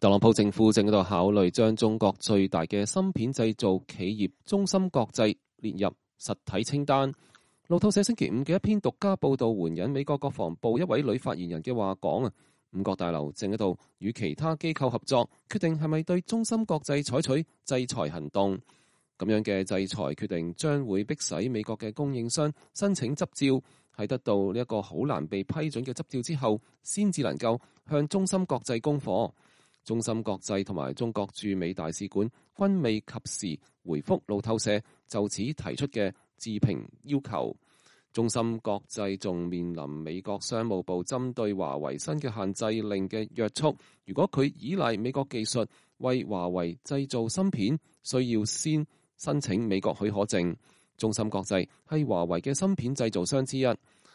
特朗普政府正喺度考慮將中國最大嘅芯片製造企業中芯國際列入實體清單。路透社星期五嘅一篇獨家報導援引美國國防部一位女發言人嘅話講五角大樓正喺度與其他機構合作，決定係咪對中芯國際採取制裁行動。咁樣嘅制裁決定將會迫使美國嘅供應商申請執照，喺得到呢一個好難被批准嘅執照之後，先至能夠向中芯國際供貨。中芯國際同埋中國駐美大使館均未及時回覆路透社就此提出嘅置評要求。中芯國際仲面臨美國商務部針對華為新嘅限制令嘅約束，如果佢依賴美國技術為華為製造芯片，需要先申請美國許可證。中芯國際係華為嘅芯片製造商之一。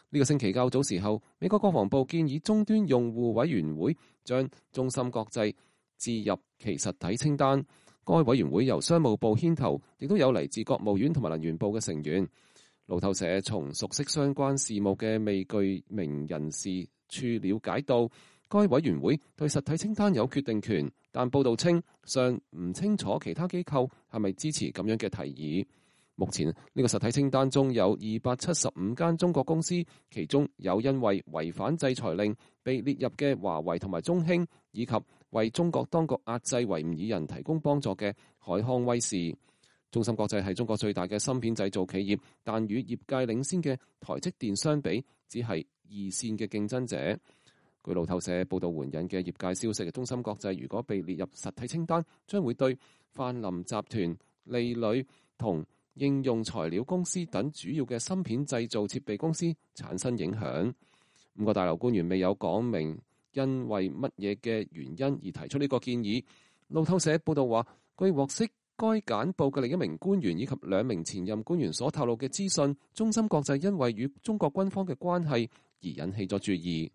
呢個星期較早時候，美國國防部建議終端用戶委員會將中芯國際置入其實體清單。該委員會由商務部牽頭，亦都有嚟自國務院同埋能源部嘅成員。路透社從熟悉相關事務嘅未具名人士處了解到，該委員會對實體清單有決定權，但報道稱尚唔清楚其他機構係咪支持咁樣嘅提議。目前呢個實體清單中有275間中國公司，其中有因為違反制裁令被列入嘅華為同埋中興，以及為中國當局壓制維吾爾人提供幫助嘅海康威視。中芯國際係中國最大嘅芯片製造企業，但與業界領先嘅台積電相比，只係二線嘅競爭者。據路透社報道援引嘅業界消息，中芯國際如果被列入實體清單，將會對泛林集團、利磊同應用材料公司等主要嘅芯片製造設備公司產生影響。五角大樓官員未有講明因為乜嘢嘅原因而提出呢個建議。路透社報道話，據獲悉，該簡報嘅另一名官員以及2名前任官員所透露嘅資訊，中芯國際因為與中國軍方嘅關係而引起咗注意。